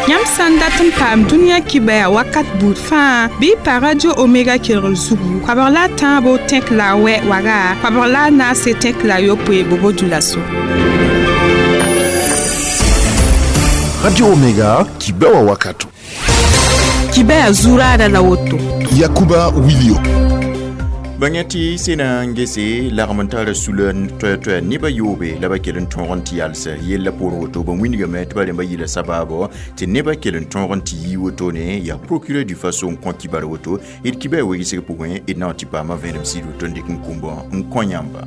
Yãmb sã n dat n paam dũniyã kibaya wakat buud fãa bɩ y pa Radio Omega kelgr zugu koabg la a tãabo tẽk la a wɛ waga koabg la a naase tẽk la a yopoe bobo dulaso. Radio Omega kibawa wakato. Kibaya zuraada la woto. Yakuba Wilio. Bãngya tɩ sẽna n gese lagm n tara sula toɛ-toɛ nebã yoobe la ba kell n tõog n tɩ yals yella poorẽ woto ba wĩnigame tɩ ba rẽmba yɩla sabaabo tɩ nebã kell n tõog n tɩ yii wotone yaa procureur du Faso n kõ kibar woto d kiba wegsg pʋgẽ d na n tɩ paama vẽenem sɩd woto n dɩk n kũmbã n kõ yãmba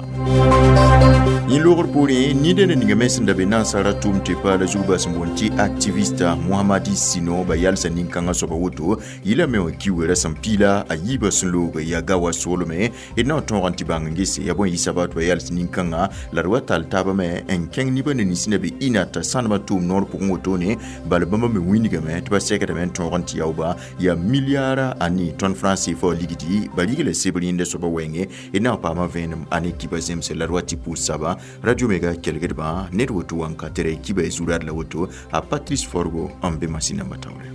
yẽ loogr poorẽ nida na ninga me sẽn da be nansara tʋʋm tɩ paala zug bas n boond tɩ activiste Mohamadi Sino ba yalsa nin-kãngã soaba woto yɩla me wã kiuga rasem piila a yiibã sẽn loog yaa gawa soolme d na n tõog n tɩ bãng n gese yaa bõe yɩ sabab tɩ ba yals nin-kãngã la d wa tall taabã me n kẽng nebã na nins na be ɩna t'a sãnemã tʋʋm noor pʋgẽ wotone bala bãmba me wĩnigame tɩ ba sɛkdame n tõog n tɩ yaooba yaa milliara anii tõnd franc CFA ligdi ba rigla sebr yẽnda soaba wɛɛngẽ d na n paama vẽenem a ne kiba zemse la d wa tɩ pʋʋs saba Radio Mega kelgdbã ned woto wãnkatere kiba zurad la woto a Patrice Forgo n be masĩnãmbã taoore.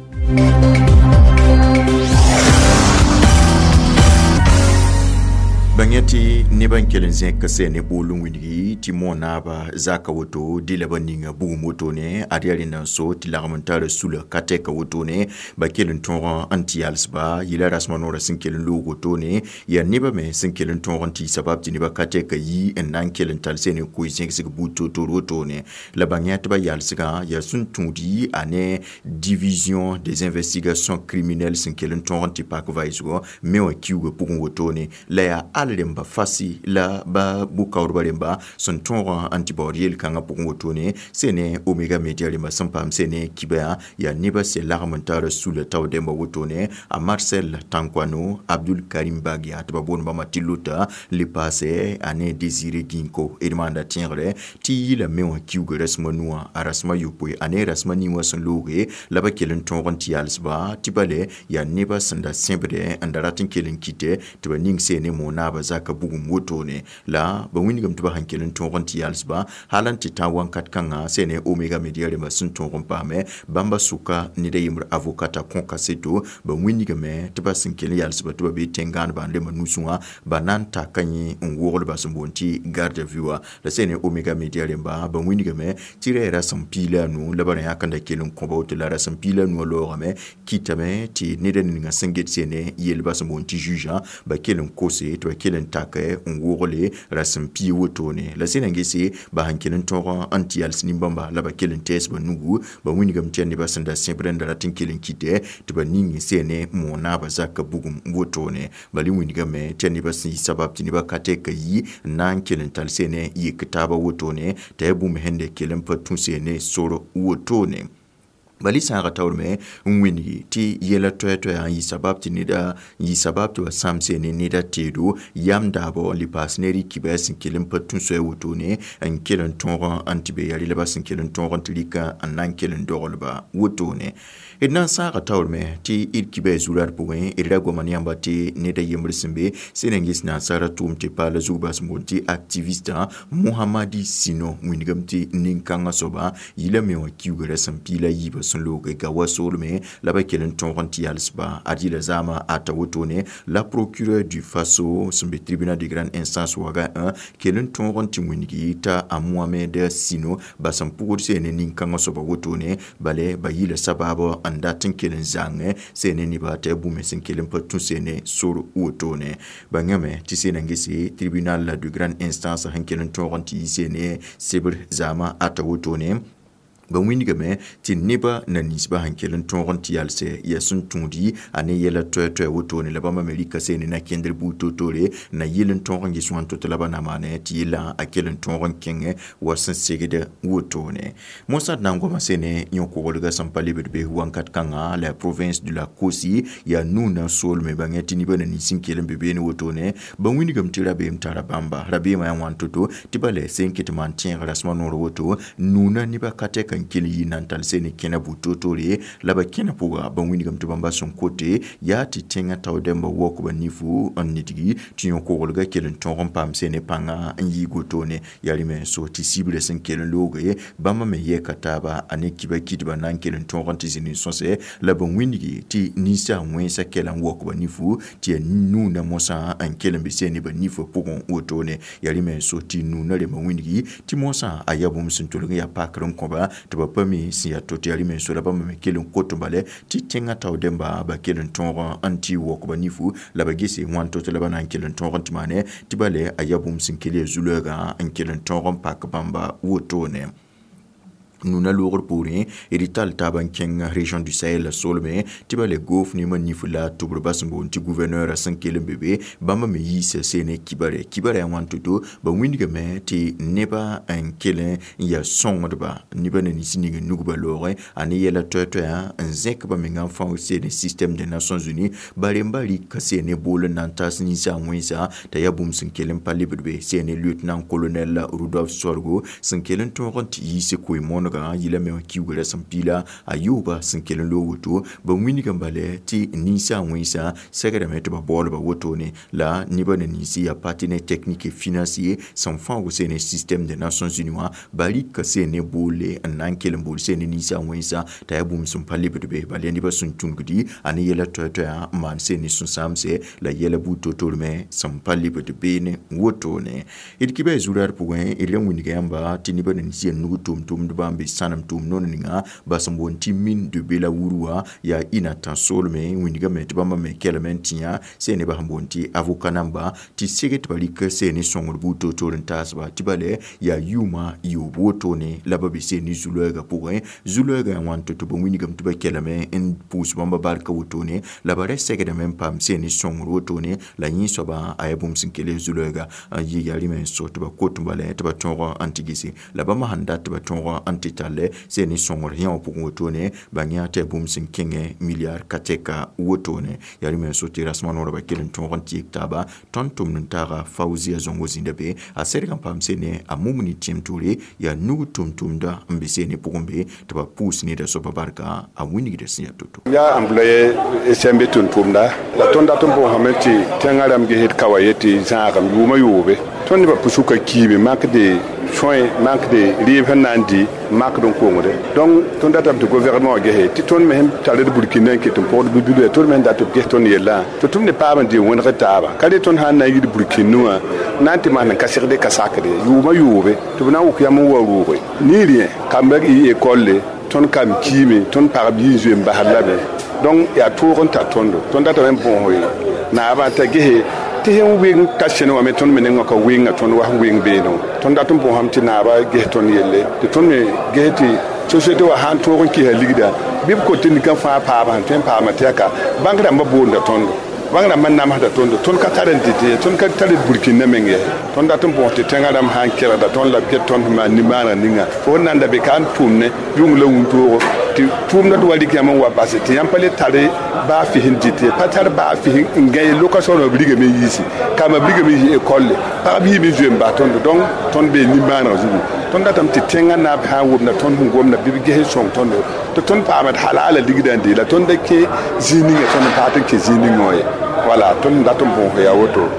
Bãngya tɩ nebã n kell n zẽk sɛ ne bool n wilgi tɩ monaaba zaka woto dɩ la ba ninga bugum wotone ad yaa rẽnda n so tɩ lagm n tara sula ka tɛka wotone ba kell n tõog n tɩ yalsba yɩla rasmã noorã sẽn kell n loog wotone yaa nebã me sẽn kell n tõog n tɩ sabab tɩ nebã ka tɛka yi n na n kell n tall sɛ ne koe zẽgsg buud toor-toor wotone la bãngya tɩ ba yalsgã yaa sẽn tũudi a ne division des investigations criminelles sẽn kell n tõog n tɩ pak vaɩsgɔ me wã kiuugã pʋgẽ wotone la yaa al rẽmba fasi la ba bʋ-kaoodbã rẽmba sẽn tõog n tɩ baood yel-kãngã pʋgẽ wotone sẽn ne Omega Media rẽmba sẽn paam sẽn ne kibã yaa nebã sẽn lagm n tara sula tao dẽmba wotone a Marcel Tankwano Abdul Karim Bagia tɩ ba boond bãmba tɩ lota le paase a ne Désiré Ginko d maanda tẽegre tɩ yɩla me wã kiuga rasmã nuwã a rasmã yopoe a ne rasmã ning wã sẽn looge la ba kell n tõog n tɩ yalsba tɩ bale yaa nebã sẽn da sẽbdɛ n da rat n kell n kɩtɛ tɩ ba ning sẽn ne monaaba zaka bugum wotone la ba wĩnigame tɩ ba sẽn kell n tõog n tɩ yalsba hal n tɩ tã wãnkat kãngã sẽn ne Omega Media rẽmbã sẽn tõog n paame bãmba sʋka ned a yembr avocat a kõ kaseto ba wĩnigame tɩ ba sẽn kell n yalsba tɩ ba bee tẽn-gãanebã n rẽmbã nusẽ wã ba na n taka yẽ n wogl ba sẽn boond tɩ garde à vue wã la sẽn ne Omega Media rẽmba ba wĩnigame tɩ ra yaa rasem piila a nu la ba rã yãk n da kell n kõ ba woto la rasem piila a nuwã loogame kɩtame tɩ ned a ninga sẽn get sẽn ne yelbã sẽn boond tɩ juge ba kell n kose tɩ ba kell n take n wogle rasem pii wotone la sẽn na n gese ba sẽn kell n tõog n tɩ yals nin-bãmba la ba kell n tɛɛs ba nugu ba wĩnigame tɩ yaa nebã sẽn da sẽbd n da rat n kell n kɩtɛ tɩ ba ning sẽn ne monaabã zaka bugum wotone bala wĩnigame tɩ yaa nebã sẽn yɩ sabab tɩ nebã ka tɛka yi n na n kell n tall sẽn ne yek taabã wotone t'a yaa bũmb sẽn da kell n pa tũ sẽn ne sor wotone bala sãaga taoor me n wĩngi tɩ yɛla toɛ-toɛyã n yɩ sabab tɩ neda n yɩ sabab tɩ ba sãam sẽn ne neda teedo yam daabɔ n le paas ne rɩ-kibɛ sẽn kell n pa tũ soɛɛ wotone n kell n tõog n tɩ be yaa rɩ la ba sẽn kell n tõog n tɩ rɩkã n na n kell n doglba wotone d na n sãaga taoor me tɩ d kibɛ zurad pʋgẽ d ra goama ne yãmba tɩ ned a yembr sẽn be sẽn na n ges nansara tʋʋm tɩ paala zug bas n boond tɩ activiste Mohamadi Sino wĩnigame tɩ nin-kãngã soaba yɩla me wã kiuga rasem piila yiibã sẽn loog gawa soolme la ba kell n tõog n tɩ yalsba ad yɩla zaamã ata wotone la procureur du Faso sẽn be tribunal de grande instance waga 1 kell n tõog n tɩ wĩngi t'a a Mohamed Sino ba sẽn pʋgd sẽn ne nin-kãngã soaba wotone bale ba yɩla sabaab n dat n kell n zãng sẽn ne nebã t'a yaa bũmb sẽn kell n pa tũ sẽn ne sor wotone bãngame tɩ sẽn na n gese tribunal de grande instance sẽn kell n tõog n tɩ yɩ sẽn ne sebr zaamã ata wotone ba wĩnigame tɩ nebã na ninsbã sẽn kell n tõog n tɩ yalsɛ yaa sẽn tũudi a ne yɛla toɛ-toɛ wotone la bãmba me rɩka sẽn ne na kẽndr buud toor-toore na yɩl n tõog n ges wãn to-to la ba na maane tɩ yellã a kell n tõog n kẽngẽ wa sẽn segd wotone mosã d na n goama sẽn ne yõ-koglgã sẽn pa lebd be wãnkat kãngã la province de la Kosi yaa nuna soolme bãngẽ tɩ nebã na nins n kell n be beene wotone ba wĩnigame tɩ rabeem tara bãmba rabeemã yaa wãn to-to tɩ ba la sẽn ket maan tẽeg rasmã noor woto nuna nebã ka tɛka n kell n yi na n tall sene kẽna bu-toor-toore la ba kẽna pʋga ba wĩnigame tɩ bãmba sẽn kote yaa tɩ tẽngã tao dẽmba waook ba nifu n nidgi tɩ yõ-koglgã kell n tõog n paam sene pãnga n yɩɩg wotone. Yaa rẽ me n so tɩ sibrã sẽn kell n looge bãmba me yɛka taaba a ne kiba kɩdba na n kell n tõog n tɩ zĩnd n sõse la b wĩnigi tɩ ninsaag wẽnsã kɛla n waook ba nifu tɩ yaa nuna mosã n kell n be sene ba nifã pʋgẽ wotone. Yaa rẽ me n so tɩ nuna rẽmbã wĩnigi tɩ mosã a yaa bũmb sẽn tolg n yaa pakr n kõba tɩ ba pa mi sẽn yaa to-to. Yaa rẽ me n so la bãmba me kell n kot n bale tɩ tẽngã tao dẽmba ba kell n tõog n tɩ waook ba nifu la ba gese wãn to-to la ba na n kell n tõog n tɩ maane tɩ bale a yaa bũmb sẽn kell yaa zu-loɛɛgã n kell n tõog n pak bãmba wotone. Nuna loogr poorẽ d tall taab n kẽng région du Sahel la solme tɩ ba le goof ne nif la tʋbr ba sẽn boond tɩ gouverneur sẽn kell n be be bãmba me yiisa sene kibare kibare a wãn to-to ba wĩnigame tɩ neba n kell n yaa sõngdba neba na nins ning n nugba loogẽ a ne yɛla toɛ-toɛyã n zẽk ba menga n fãoog sene système des Nations Unies ba rembã rɩka sene bool n na n taas ninsaag wẽnsa t'a yaa bũmb sẽn kell n pa lebd be sene lieutenant colonel Rudolf Sorgo sẽn kell n tõog n tɩ yiis koe-moonega yila me wã kiugrã sẽn piila a yooba sẽn kell n loog woto ba wĩnigã bale tɩ ninsaag wẽnsã segrame tɩ ba baoolba wotone la neba na ninsi yaa partenaire technique et financier sẽn fãoog sene système des Nations Unies wã ba rɩka sene boolle n na n kell n bool sene ninsaag wẽnsã t'a yaa bũmb sẽn pa lebd be bala nebã sẽn tũngdi a ne yɛla toɛ-toɛyã n maan sene sũ-sãamse la yɛla buud to-tor me sẽn pa lebd beene wotone. D kɩba ya zu-raad pʋgẽ d ra wĩnga yãmba tɩ nebã na nins yaa nug tʋʋm-tʋmdbã n be sãnem tʋʋm noor ninga ba sẽn boond tɩ mine de Bela-Wuru wã yaa ina tã-soolme wĩnigame tɩ bãmba me kelme n tĩ yã sẽn nebã sẽn boond tɩ avocat namba tɩ seg tɩ ba rɩk sene sõngr buud toor-toor n taasba tɩ bale yaa yʋʋmã yoob wotone la ba be sene zu-loɛɛgã pʋgẽ zu-loɛɛgã yaa wãn tɩ ba wĩnigame tɩ ba kelme n pʋʋs bãmba barka wotone la ba ra segdame n paam sene sõngr wotone la yẽ soabã a yaa bũmb sẽn kell zu-loɛɛga n yɩ yaa rẽ me n so tɩ ba kot n bala tɩ ba tõog n tɩ gese la bãmba sẽn dat tɩ ba tõog n tɩ talle sene sõngr yã wã pʋgẽ wotone ba yã tɩ yaa bũmb sẽn kẽngẽ milliard ka tɛka wotone. Yaa rẽ me n so tɩ rasmã noorã ba kell n tõog n tɩ yek taaba tõnd tʋmd n taaga Faouzia Zongo zĩnda be a serg n paam sene a mumni tẽm toore yaa nug tʋm-tʋmda n be sene pʋgẽ be tɩ ba pʋʋs neda soaba barka a wĩnigda sẽn yaa to-to. Yaa employé SMB tʋm-tʋmda la tõnd dat n bõosame tɩ tẽngã rãmb gesd ka wa ye tɩ zãagem yʋʋmã yoobe tõnd nebã pʋsʋka kiime manque de soins, manque de rɩɩb sẽn na n dɩ makd n kongde. Donc tõnd datame tɩ gouvernement wã gese tɩ tõnd me sẽn tar d burkina n ket n pʋgd bi-bilã tõnd me sẽn dat tɩ b ges tõnd yellã tɩ tʋm ne paam n dɩ n wẽneg taaba ka re tõnd sã n na n yid burkine wã na n tɩ maan n ka segde ka sakde yʋʋmã yoobe tɩ b na n wʋk yam n wa rʋʋge ni rẽ kambã yɩ école tõnd kam kiime tõnd pagb yɩ n zoe n basd lame. Donc yaa toog n tar tõndo tõnd datame n bõos naabã t'a gese tɩ sẽn wɩng ka sẽne wã me tõnd me nengã ka wɩnga tõnd wa sẽn wɩng beene wã tõnd dat n bõosame tɩ naabã ges tõnd yelle tɩ tõnd me ges tɩ société wã sãn tõog n kɩsa ligda bɩ b kot tɩ nika fãa paama sẽn tõe n paama tɩ yaa ka bãng rãmbã boonda tõndo bãng rãmbã namsda tõndo tõnd ka tar n dɩt ye tõnd ka tar d burkina meng ye tõnd dat n bõos tɩ tẽngã rãmb sã n kelgda tõnd la b ket tõnd sẽn maan nimaaneg ninga fo sẽn na n da be ka n tʋʋm ne yʋng la wũntoogo tɩ tʋʋmda tɩ wa rɩk yãmb n wa base tɩ yãmb pa le tare baa fis n dɩt ye pa tar baa fis n gã ye location wã b rigame n yiisi kambã b rigame n yiis école pagb yiime n zoe n bas tõndo donc tõnd bee nimaaneg zugu tõnd datame tɩ tẽngã naab sã n womda tõnd sẽn gomda bɩ b ges n sõng tõndo tɩ tõnd paama d halaala ligdã n dee la tõnd da kẽ zĩig ninga tõnd n paat n kẽ zĩig ningã wã ye wala tõnd dat n bõos yaa woto.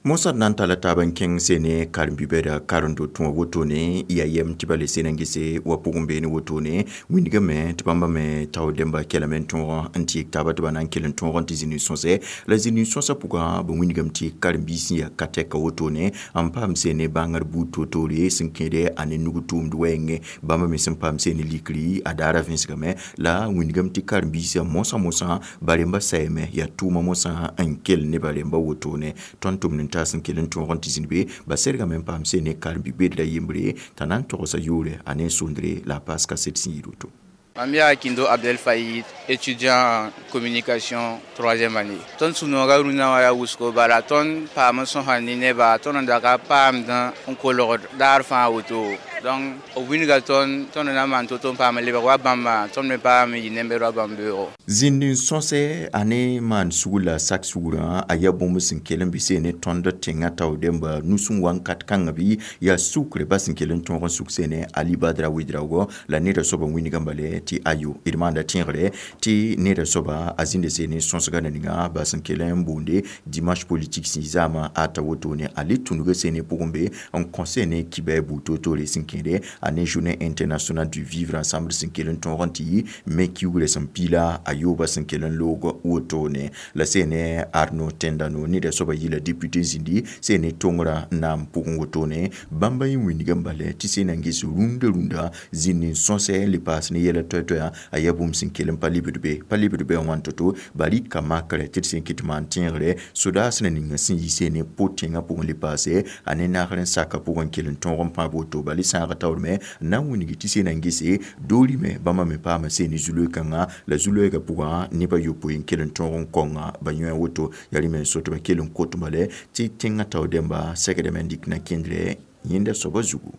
Mosã d na n talla taab n kẽng sene karen-bi-bɛda karen-do tũ wã wotone yaa yɛm tɩ ba le sen n gese wa pʋgẽ beene wotone wĩnigame tɩ bãmba me tao dẽmba kelame n tõog n tɩ yek taaba tɩ ba na n kell n tõog n tɩ zĩnd n sõsɛ la zĩnd n sõsã pʋgã ba wĩnigame tɩ karen-biis sẽn yaa ka tɛka wotone n paam sene bãngr buud toor-toore sẽn kẽede a ne nug tʋʋmd wɛɛngẽ bãmba me sẽn paam sene likri a daara vẽsgame la wĩnigame tɩ karen-biisã mosã mosã ba rembã sayame yaa tʋʋma mosã n kell ne ba rembã wotone tõnd tʋmd n taas n kell n tõog n tɩ zĩnd be ba sergame n paam sene karen-bi-bed la yembre t'a na n togsa yʋʋre a ne n sʋndre la a paas kaset sẽn yɩ woto. Mam yaa Kindo Abdel Faïd, étudiant en communication troisième année. Tõnd sũ-noogã rũnã wã yaa wʋsgo bala tõnd paam n sõsa ne neba tõnd n daga paamdã n kolgd daar fãa woto. Donc b wilga tõnd tõnd na n maan to-to n paam n lebg wa bãmba tõnd me paam n yɩ nember wa bãmb beoogo. Zĩnd n sõse a ne maan sugr la sak sugrã a yaa bũmb sẽn kell n bɩ seen ne tõnd tẽngã tao dẽmba nus n wa n kat kãngã bɩ yaa sukre ba sẽn kell n tõog n suk seene Ali Badra Ouedraogo la neda soaba wĩnigã bale tɩ ayo d maanda tẽegre tɩ neda soaba a zĩnda seene sõsga na ninga ba sẽn kell n boonde dimanche politique sẽn zaamã ata wotone a le tũnuga seene pʋgẽ be n kõ seene kibɛ buud toor-toore sẽn kẽede a ne journée internationale du vivre ensemble sẽn kell n tõog n tɩ yɩ me kiugrã sẽn piila a yooba sẽn kell n loog wotone la seene Arnaud Tendano neda soaba yɩla député zĩndi seene tongrã naam pʋgẽ wotone bãmba yẽ wĩnigã bale tɩ sẽn na n ges rũndã rũndã zĩnd n sõsɛ n le paas ne yɛla toɛ-toɛa a yaa bũmb sẽn kell n pa lebd be pa lebd be wã to-to ba rɩka makrɛ tɩ d sẽn kɩt maan tẽegre sodaas na ninga sẽn yi seene po tẽngã pʋgẽ le paase a ne nagr n saka pʋgẽ kell n tõog n pãab woto bala sãaga taoor me n na n wilgi tɩ sẽn na n gese doori me bãmba me paama seene zu-loe-kãngã la zu-loɛɛgã pʋgã nebã yopoe n kell n tõog n kõnga ba yõe woto yaa rẽ me n so tɩ ba kell n kot bale tɩ tẽngã tao dẽmba segdame n dɩk na kẽndrɛ yẽnda soaba zugu.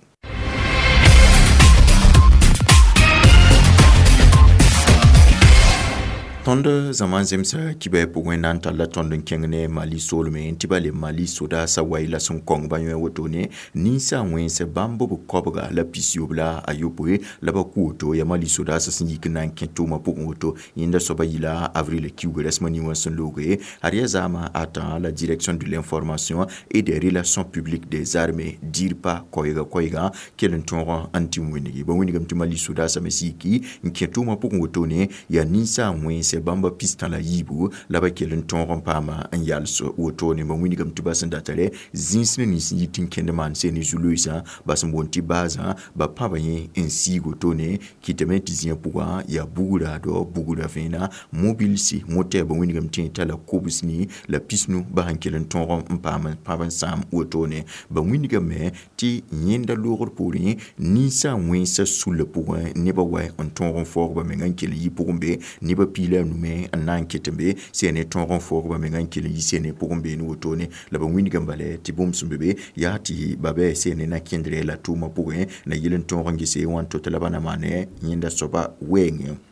Tõnd zãma n zemsa kibɛ pʋgẽ na n talla tõnd n kẽng ne Mali soolmẽ tɩ ba le Mali sodaasã wai la sẽn kõng ba yõe wotone ninsa wẽns bãmb b koabga la pisyoob la a yopoe la ba kʋ woto yaa Mali sodaasã sẽn yik n na n kẽ tʋʋmã pʋgẽ woto yẽnda soaba yɩla avril kiuga rasmã nin wã sẽn looge ad yaa zaamã ata la direction de l'information et des relations publiques des armées DIRPA koɛɛga koɛɛga kell n tõog n tɩ wĩnigi ba wĩnigame tɩ Mali sodaasã me sã yiki n kẽ tʋʋmã pʋgẽ wotone yaa ninsa wẽns bãmba pistã la yiibu la ba kell n tõog n paama n yals wotone ba wĩnigame tɩ ba sẽn datare zĩns ne nins n yit n kẽnd maan seen ne zu-loeesã ba sẽn boond tɩ baasã ba pãba yẽ n siig wotone kɩtame tɩ zĩyã pʋgã yaa bugra dɔ bugra vẽena mobilsi motɛɛ ba wĩnigame tɩ yẽ tala kobs ni la pisnu ba sẽn kell n tõog n paam pãb n sãam wotone ba wĩnigame tɩ yẽnda loogr poorẽ ninsã wẽnsã sullã pʋgẽ nebã wa n tõog n faoog ba menga n kell n yi pʋgẽ be nebã piila nume n na n ket n be sẽn ne tõog n faoog ba menga n kell n yi sẽn ne pʋgẽ beene wotone la ba wĩnigame bale tɩ bũmb sẽn be be yaa tɩ ba bɩ sẽn ne na kẽndrɛ la tʋʋmã pʋgẽ na yɩl n tõog n gese wãn to tɩ la ba na maane yẽnda soaba wɛɛngẽ.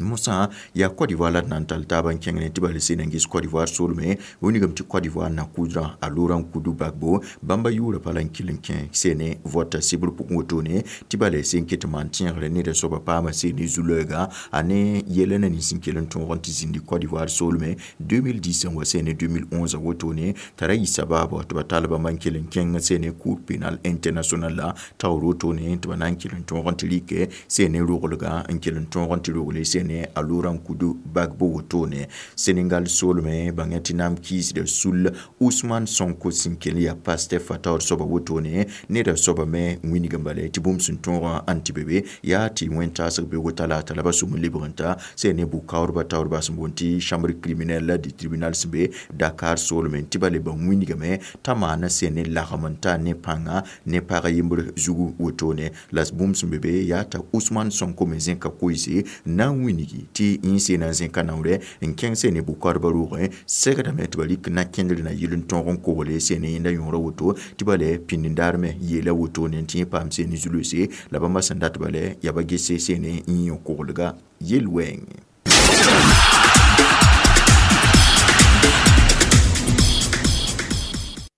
Mosã yaa Côte d'Ivoire la d na n tall taab n kẽng ne tɩ bala sẽn na n ges Côte d'Ivoire soolmẽ wĩnigame tɩ Côte d'Ivoire na-kʋʋdrã a Laurent Koudou Gbagbo bãmba yʋʋra pa la n kell n kẽ sene vɔta sɩbr pʋgẽ wotone tɩ bala sẽn ket n maan tẽegre neda soaba paama sene zu-loɛɛga a ne yɛla na nins n kell n tõog n tɩ zĩndi Côte d'Ivoire soolmẽ 2010 n wa sene 2011 wotone t'a ra yɩ sabaabɔ tɩ ba tall bãmba n kell n kẽng sene Cour pénale internationale la taoor wotone tɩ ba na n kell n tõog n tɩ rɩkɛ sene roglga n kell n tõog n tɩ rogle sene a Laurent Koudou Gbagbo wotone Sénégal soolmẽ bãngã tɩ naam kiisda sul Ousmane Sonko sẽn kell yaa Pastef a taoor soaba wotone neda soaba me wĩnigame bala tɩ bũmb sẽn tõog n tɩ be be yaa tɩ wẽn-taasg beoogo talaata la ba sʋm n lebg n ta sẽn ne bʋ-kaoodbã taoor ba sẽn boond tɩ chambre criminelle du tribunal sẽn be Dakar soolmẽ tɩ ba le ba wĩnigame t'a maana sẽn ne lagem n ta ne pãnga ne pag yembr zugu wotone la bũmb sẽn be be yaa t'a Ousmane Sonko me zẽka koeese na n wĩnigi tɩ yẽ sẽn na n zẽka naoorɛ n kẽng sẽn ne bʋ-kaoodbã roogẽ segdame tɩ ba rɩk na kẽndr na yɩl n tõog n kogle sẽn ne yẽnda yõora woto tɩ ba le pĩnd-n-daar me yeela wotone tɩ yẽ paam sẽn ne zu-loeese la bãmba sẽn dat bala yaa ba gese sẽn ne n yõ koglga yel-wɛɛngẽ.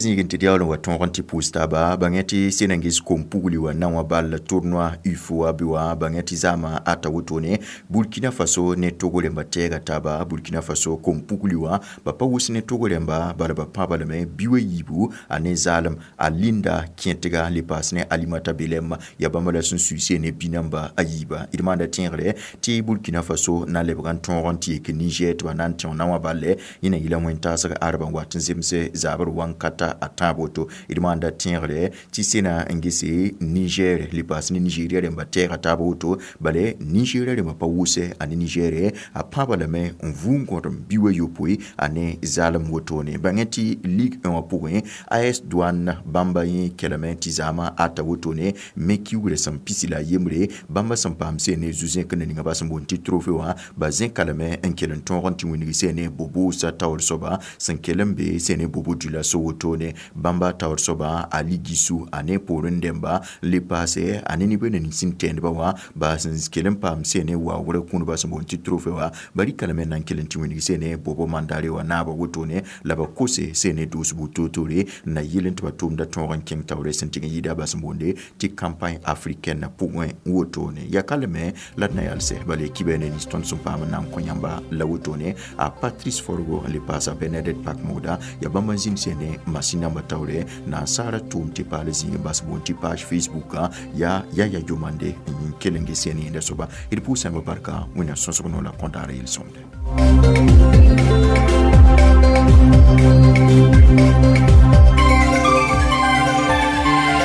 Zĩig n tɩ yaool n wa tõog n tɩ pʋʋs taaba bãngẽ tɩ sẽn na n ges kom-pugli wã na wã bal tournoi UFOA bɩ wã bãngẽ tɩ zaamã ata wotone Burkina Faso ne Togo rẽmba tɛɛga taaba Burkina Faso kom-pugli wã ba pa wʋs ne Togo rẽmba bala ba pãba lame bi-wã yiibu a ne zaalem a Linda kẽtga le paas ne Alimata Belem yaa bãmba la sẽn sui ne bi-namba a yiiba d maanda tẽegre tɩ Burkina Faso na n lebg n tõog n tɩ yek Niger tɩ ba na n tẽo na wã bal yẽ na yɩla wẽn-taasg arba n wat n zemse zabr wãn-kata a tãab woto d maanda tẽegre tɩ sẽna n gese Niger le paas ne Nigeria rẽmba tɛɛga taab woto bala Nigeria rẽmba pa wʋsɛ a ne Niger a pãaba lame n vʋʋ n gõdem bi-wã yopoe a ne zaalem wotone bãngẽ tɩ Ligue 1 wã pʋgẽ AS Douane bãmba yẽ kelame tɩ zaamã ata wotone me kiugrã sẽn pisi la a yembre bãmba sẽn paam sẽn ne zu-zẽk na ninga ba sẽn boond tɩ trophée wã ba zẽka lame n kell n tõog n tɩ wĩnigi sẽn ne Bobo sa taoor soaba sẽn kell n be sẽn ne Bobo Dioulasso wotone. wotone bãmba taoor soaba Ali Gisu a ne poorẽ dẽmba n le paase a ne neb nins sẽn tẽedba wã ba sẽn kell n paam sene waoogrã kũudba sẽn boond tɩ trophée wã ba rɩka lame n na n kell n tɩ wilg sene Bobo Mandare wã naaba wotone la ba kose sene doosbu toor-toore n na yɩl n tɩ ba tʋʋmda tõog n kẽng taoore sẽn tɩg n yɩɩda ba sẽn boonde tɩ campagne africaine pʋgẽ wotone ya ka lame la d na yalsɛ bala kiba ne nins tõnd sẽn paam n na n kõ yãmba la wotone a Patrice Forgo n le paasa Bernadette Pakmoda ya bãmb n zĩnd sene masin namba taoore na n saara tʋʋm tɩ paal zĩig n bas boond tɩ page Facebook ya Yaya Jomande n kell n ges sene yẽnda soaba d pʋʋsãmba barka Wẽnnaam sõsg no la kõdaara yel-sõmde.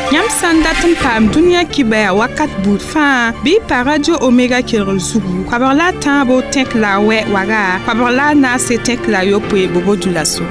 Yãmb sã n dat n paam dũniyã kibaya wakat buud fãa bɩ y pa Radio Omega kelgr zugu koabg la a tãabo tẽk la a wɛ waga koabg la a naase tẽk la a yopoe bobo dulaso.